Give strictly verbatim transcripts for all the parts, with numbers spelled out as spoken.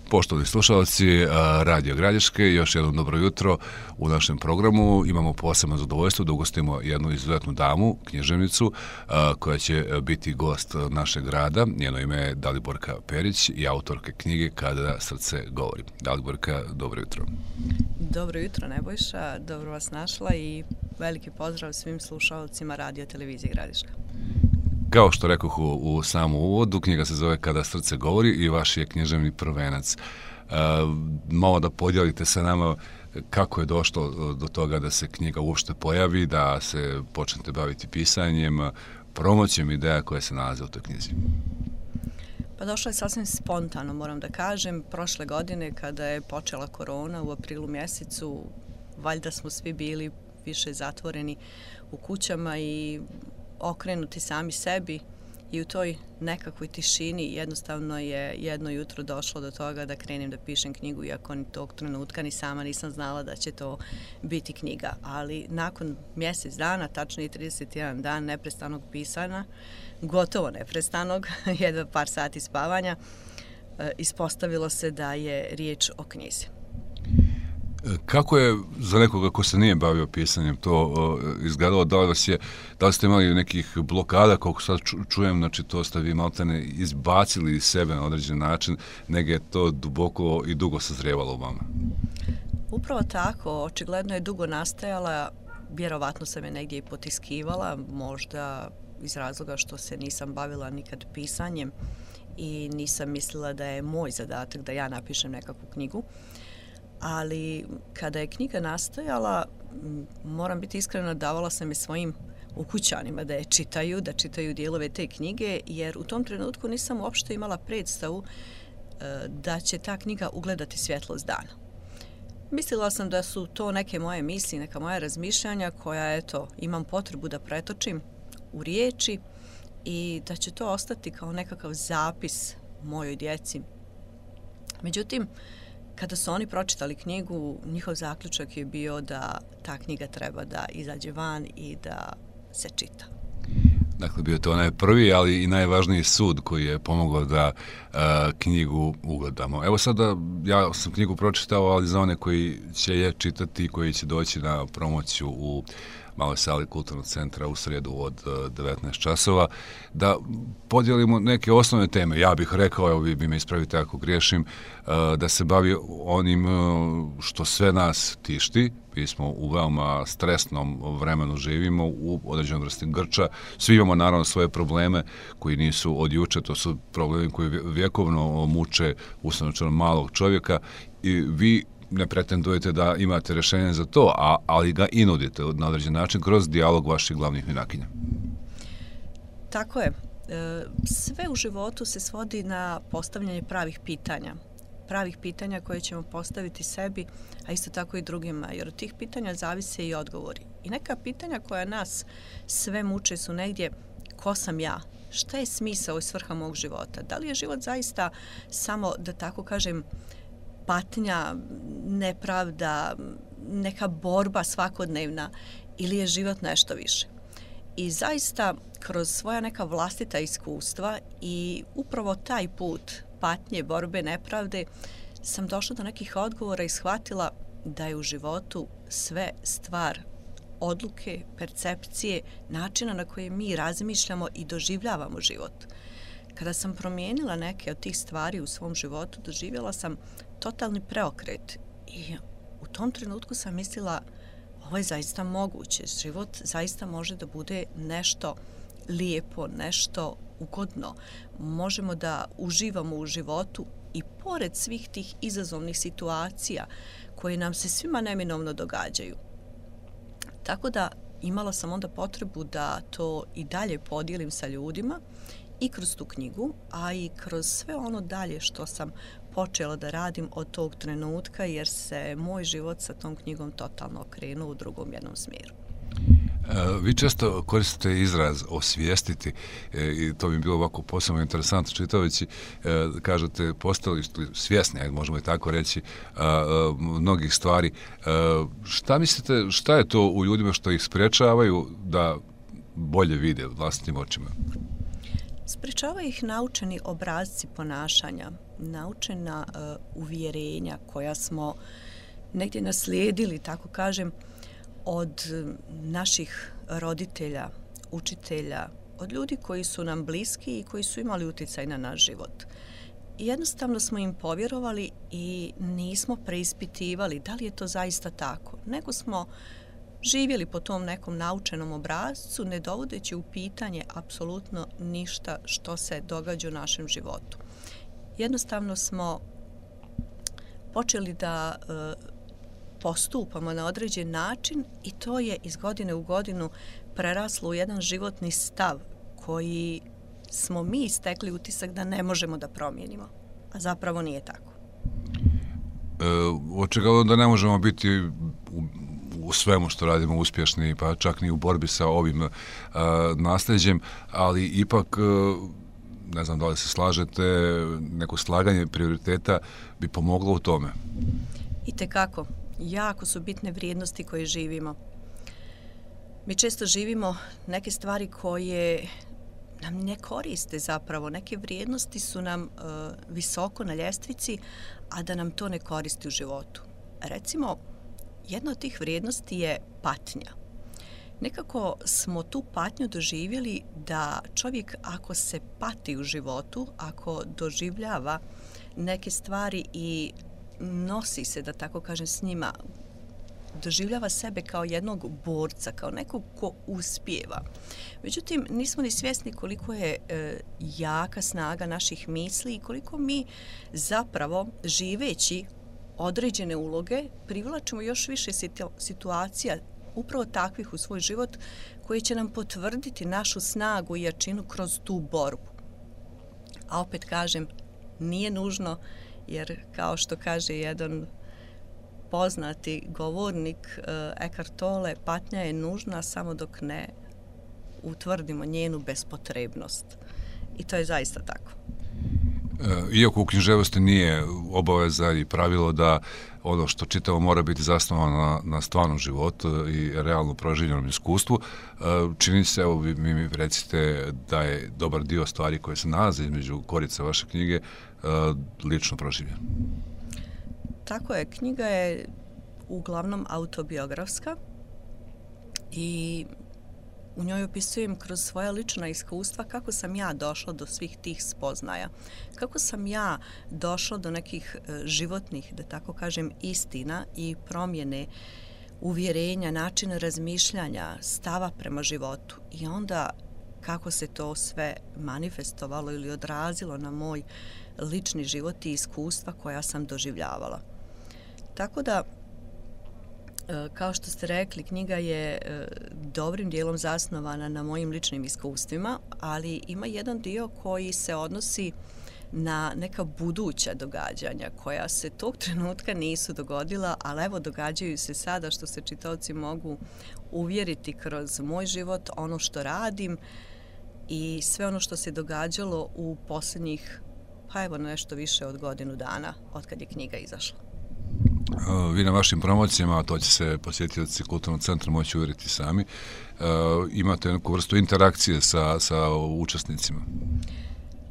Poštovani slušalci Radio Gradiške, još jedno dobro jutro u našem programu. Imamo posebno zadovoljstvo da ugostimo jednu izuzetnu damu, književnicu, koja će biti gost našeg grada. Njeno ime je Daliborka Perić i autorke knjige Kada srce govori. Daliborka, dobro jutro. Dobro jutro, Nebojša. Dobro vas našla i veliki pozdrav svim slušalcima Radio Televizije Gradiška. Kao što rekoh u, u samom uvodu, knjiga se zove Kada srce govori i vaš je književni prvenac. E, malo da podijelite sa nama kako je došlo do toga da se knjiga uopšte pojavi, da se počnete baviti pisanjem, promocijom ideja koje se nalaze u toj knjizi. Pa došlo je sasvim spontano, moram da kažem. Prošle godine, kada je počela korona u aprilu mjesecu, valjda smo svi bili više zatvoreni u kućama i okrenuti sami sebi i u toj nekakvoj tišini jednostavno je jedno jutro došlo do toga da krenem da pišem knjigu, iako ni tog trenutka ni sama nisam znala da će to biti knjiga. Ali nakon mjesec dana, tačnije trideset jedan dan neprestanog pisanja, gotovo neprestanog, jedva par sati spavanja, ispostavilo se da je riječ o knjizi. Kako je za nekoga ko se nije bavio pisanjem to uh, izgledalo? Da li, vas je, da li ste imali nekih blokada, koliko sad čujem, znači to ste vi maltene izbacili iz sebe na određen način, nego je to duboko i dugo sazrijevalo u vama? Upravo tako, očigledno je dugo nastajala, vjerovatno sam je negdje i potiskivala, možda iz razloga što se nisam bavila nikad pisanjem i nisam mislila da je moj zadatak da ja napišem nekakvu knjigu. Ali kada je knjiga nastajala, moram biti iskrena, davala sam je svojim ukućanima da je čitaju, da čitaju dijelove te knjige, jer u tom trenutku nisam uopšte imala predstavu da će ta knjiga ugledati svjetlost dana. Mislila sam da su to neke moje misli, neka moja razmišljanja koja, eto, imam potrebu da pretočim u riječi i da će to ostati kao nekakav zapis mojoj djeci. Međutim, kada su oni pročitali knjigu, njihov zaključak je bio da ta knjiga treba da izađe van i da se čita. Dakle, bio to onaj prvi, ali i najvažniji sud koji je pomogao da uh, knjigu ugledamo. Evo sada, ja sam knjigu pročitao, ali za one koji će je čitati, koji će doći na promociju u maloj sali Kulturnog centra u srijedu od devetnaest časova, da podijelimo neke osnovne teme. Ja bih rekao, evo vi bi me ispravite ako griješim, da se bavi onim što sve nas tišti. Mi smo u veoma stresnom vremenu živimo, u određenom vrsti grča. Svi imamo naravno svoje probleme koji nisu od juče, to su problemi koji vjekovno muče ustavno malog čovjeka i vi ne pretendujete da imate rješenje za to, a, ali ga i nudite na određen način kroz dijalog vaših glavnih junakinja. Tako je. Sve u životu se svodi na postavljanje pravih pitanja. Pravih pitanja koje ćemo postaviti sebi, a isto tako i drugima, jer od tih pitanja zavise i odgovori. I neka pitanja koja nas sve muče su negdje: ko sam ja? Šta je smisao i svrha mog života? Da li je život zaista samo, da tako kažem, patnja, nepravda, neka borba svakodnevna, ili je život nešto više? I zaista kroz svoja neka vlastita iskustva i upravo taj put patnje, borbe, nepravde sam došla do nekih odgovora i shvatila da je u životu sve stvar odluke, percepcije, načina na koje mi razmišljamo i doživljavamo život. Kada sam promijenila neke od tih stvari u svom životu, doživjela sam totalni preokret i u tom trenutku sam mislila, ovo je zaista moguće, život zaista može da bude nešto lijepo, nešto ugodno. Možemo da uživamo u životu i pored svih tih izazovnih situacija koje nam se svima neminovno događaju. Tako da imala sam onda potrebu da to i dalje podijelim sa ljudima i kroz tu knjigu, a i kroz sve ono dalje što sam počela da radim od tog trenutka, jer se moj život sa tom knjigom totalno okrenuo u drugom jednom smjeru. Vi često koristite izraz osvijestiti i to bi bilo ovako posebno interesantno čitajući. Kažete, postali svjesni, ajde možemo i tako reći, mnogih stvari. Šta mislite, šta je to u ljudima što ih sprečavaju da bolje vide vlastitim očima? Sprečavaju ih naučeni obrasci ponašanja, naučena uh, uvjerenja koja smo negdje naslijedili, tako kažem, od naših roditelja, učitelja, od ljudi koji su nam bliski i koji su imali utjecaj na naš život. I jednostavno smo im povjerovali i nismo preispitivali da li je to zaista tako, nego smo živjeli po tom nekom naučenom obrascu, ne dovodeći u pitanje apsolutno ništa što se događa u našem životu. Jednostavno smo počeli da e, postupamo na određen način i to je iz godine u godinu preraslo u jedan životni stav koji smo mi stekli utisak da ne možemo da promijenimo, a zapravo nije tako. E, očigledno da ne možemo biti u, u svemu što radimo uspješni, pa čak ni u borbi sa ovim e, nasljeđem, ali ipak, e, ne znam da li se slažete, neko slaganje prioriteta bi pomoglo u tome. Itekako. Jako su bitne vrijednosti koje živimo. Mi često živimo neke stvari koje nam ne koriste zapravo. Neke vrijednosti su nam uh, visoko na ljestvici, a da nam to ne koristi u životu. Recimo, jedna od tih vrijednosti je patnja. Nekako smo tu patnju doživjeli da čovjek ako se pati u životu, ako doživljava neke stvari i nosi se, da tako kažem, s njima, doživljava sebe kao jednog borca, kao nekog ko uspijeva. Međutim, nismo ni svjesni koliko je e, jaka snaga naših misli i koliko mi zapravo, živeći određene uloge, privlačimo još više situacija upravo takvih u svoj život koji će nam potvrditi našu snagu i jačinu kroz tu borbu. A opet kažem, nije nužno, jer kao što kaže jedan poznati govornik Eckhart Tolle, patnja je nužna samo dok ne utvrdimo njenu bespotrebnost. I to je zaista tako. Iako u književnosti nije obaveza i pravilo da ono što čitamo mora biti zasnovano na, na stvarnom životu i realno proživljenom iskustvu, čini se, evo vi mi recite da je dobar dio stvari koje se nalaze između korica vaše knjige lično proživljen. Tako je, knjiga je uglavnom autobiografska i u njoj opisujem kroz svoja lična iskustva kako sam ja došla do svih tih spoznaja, kako sam ja došla do nekih životnih, da tako kažem, istina i promjene uvjerenja, načina razmišljanja, stava prema životu i onda kako se to sve manifestovalo ili odrazilo na moj lični život i iskustva koja sam doživljavala. Tako da, kao što ste rekli, knjiga je dobrim dijelom zasnovana na mojim ličnim iskustvima, ali ima jedan dio koji se odnosi na neka buduća događanja koja se tog trenutka nisu dogodila, ali evo događaju se sada, što se čitaoci mogu uvjeriti kroz moj život, ono što radim i sve ono što se događalo u posljednjih, pa evo nešto više od godinu dana od kad je knjiga izašla. Vi na vašim promocijama, a to će se posjetioci Kulturnog centra moći uvjeriti sami, imate neku vrstu interakcije sa, sa učesnicima.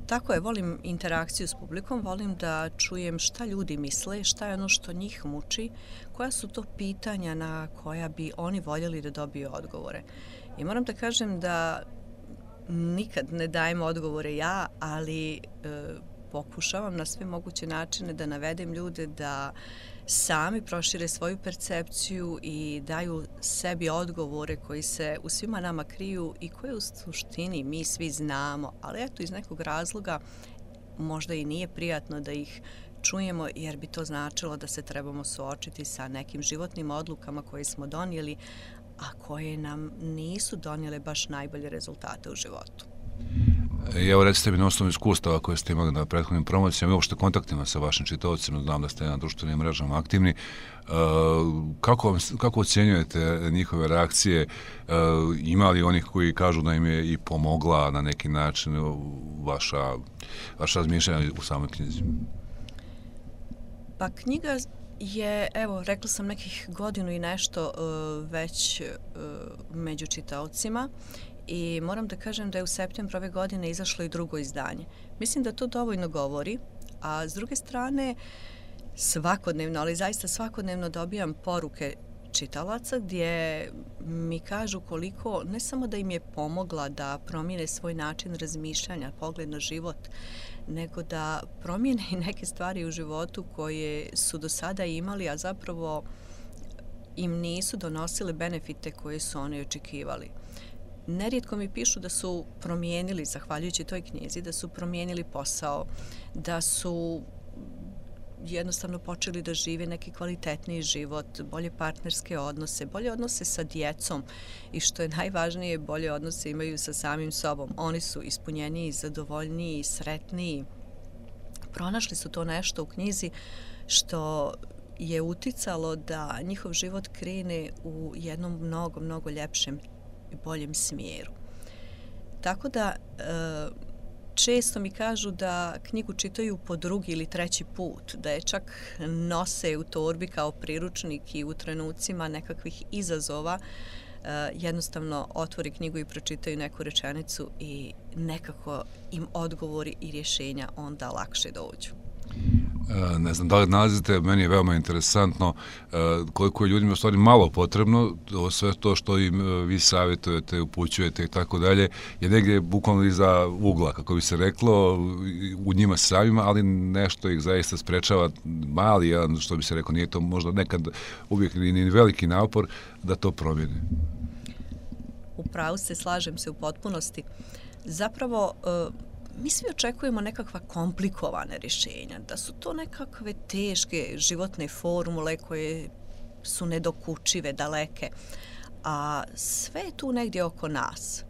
Tako je, volim interakciju s publikom, volim da čujem šta ljudi misle, šta je ono što njih muči, koja su to pitanja na koja bi oni voljeli da dobiju odgovore. I moram da kažem da nikad ne dajem odgovore ja, ali e, pokušavam na sve moguće načine da navedem ljude da sami prošire svoju percepciju i daju sebi odgovore koji se u svima nama kriju i koje u suštini mi svi znamo, ali eto iz nekog razloga možda i nije prijatno da ih čujemo jer bi to značilo da se trebamo suočiti sa nekim životnim odlukama koje smo donijeli, a koje nam nisu donijele baš najbolje rezultate u životu. Evo recite mi na osnovu iskustava koje ste imali na prethodnim promocijama i uopšte kontaktima sa vašim čitaocima, znam da ste na društvenim mrežama aktivni, kako, kako ocjenjujete njihove reakcije, ima li onih koji kažu da im je i pomogla na neki način vaša, vaša razmišljanja u samoj knjizi? Pa knjiga je, evo, rekla sam nekih godinu i nešto već među čitaocima i moram da kažem da je u septembru ove godine izašlo i drugo izdanje. Mislim da to dovoljno govori, a s druge strane svakodnevno, ali zaista svakodnevno dobijam poruke čitalaca gdje mi kažu koliko, ne samo da im je pomogla da promijene svoj način razmišljanja, pogled na život, nego da promijene i neke stvari u životu koje su do sada imali, a zapravo im nisu donosile benefite koje su oni očekivali. Nerijetko mi pišu da su promijenili, zahvaljujući toj knjizi, da su promijenili posao, da su jednostavno počeli da žive neki kvalitetniji život, bolje partnerske odnose, bolje odnose sa djecom i što je najvažnije, bolje odnose imaju sa samim sobom. Oni su ispunjeniji, zadovoljniji, sretniji. Pronašli su to nešto u knjizi što je uticalo da njihov život krene u jednom mnogo, mnogo ljepšem i boljem smjeru. Tako da često mi kažu da knjigu čitaju po drugi ili treći put, da je čak nose u torbi kao priručnik i u trenucima nekakvih izazova jednostavno otvori knjigu i pročitaju neku rečenicu i nekako im odgovori i rješenja onda lakše dođu. Ne znam da li nalazite, meni je veoma interesantno koliko je ljudima u stvari malo potrebno, sve to što im vi savjetujete, upućujete i tako dalje, je negdje bukvalno iza ugla, kako bi se reklo, u njima samima, ali nešto ih zaista sprečava, mali jedan, što bi se reklo, nije to možda nekad uvijek ni veliki napor da to promijeni. Upravo se, slažem se u potpunosti. Zapravo, mi svi očekujemo nekakva komplikovane rješenja, da su to nekakve teške životne formule koje su nedokučive, daleke, a sve je tu negdje oko nas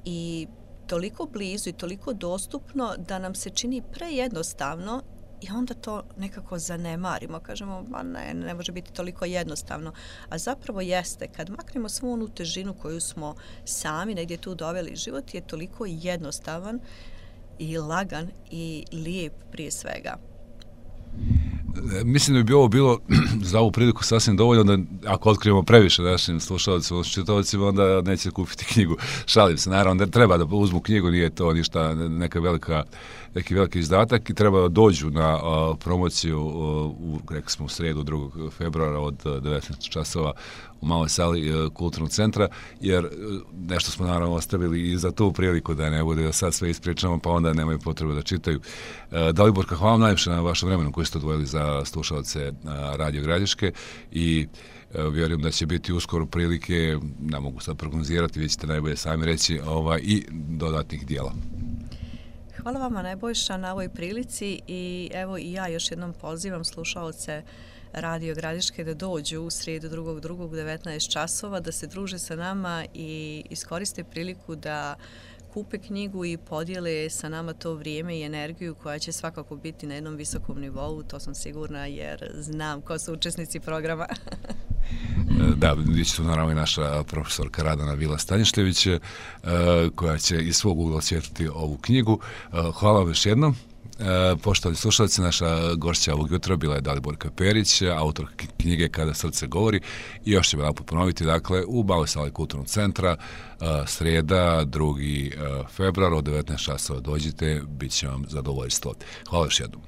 i toliko blizu i toliko dostupno da nam se čini prejednostavno i onda to nekako zanemarimo, kažemo, ma ne, ne može biti toliko jednostavno, a zapravo jeste, kad maknemo svu onu težinu koju smo sami negdje tu doveli, život je toliko jednostavan i lagan i lijep prije svega. Mislim da bi ovo bilo za ovu priliku sasvim dovoljno da ako otkrijemo previše našim slušalcima, čitaocima, onda neće kupiti knjigu. Šalim se, naravno da treba da uzmu knjigu, nije to ništa, neka velika, neki veliki izdatak i treba da dođu na uh, promociju uh, u, rekli smo, u sredu drugog februara od uh, devetnaest časova u maloj sali uh, kulturnog centra, jer uh, nešto smo naravno ostavili i za tu priliku da ne bude da sad sve ispričamo, pa onda nemaju potrebu da čitaju. Uh, Daliborka, hvala vam najviše na vašem vremenu koji ste odvojili za slušalce uh, Radio Gradiške i uh, vjerujem da će biti uskoro prilike, ne mogu sad prognozirati, vi ćete najbolje sami reći, ovaj, i dodatnih dijela. Hvala vama, Nebojša, na ovoj prilici i evo i ja još jednom pozivam slušaoce Radio Gradiške da dođu u srijedu drugog drugog u devetnaest časova, da se druže sa nama i iskoriste priliku da kupe knjigu i podijele sa nama to vrijeme i energiju koja će svakako biti na jednom visokom nivou, to sam sigurna jer znam ko su učesnici programa. Da, bit će tu naravno i naša profesorka Radana Vila-Stanješljević koja će iz svog ugla osvijetliti ovu knjigu. Hvala vam još jednom. Poštovani slušalci, naša gošća ovog jutra bila je Daliborka Perić, autor knjige Kada srce govori i još ćemo naput ponoviti, dakle, u maloj sali kulturnog centra, srijeda, drugi februar od devetnaest časova dođite, bit će vam zadovoljstvo. Hvala još jednom.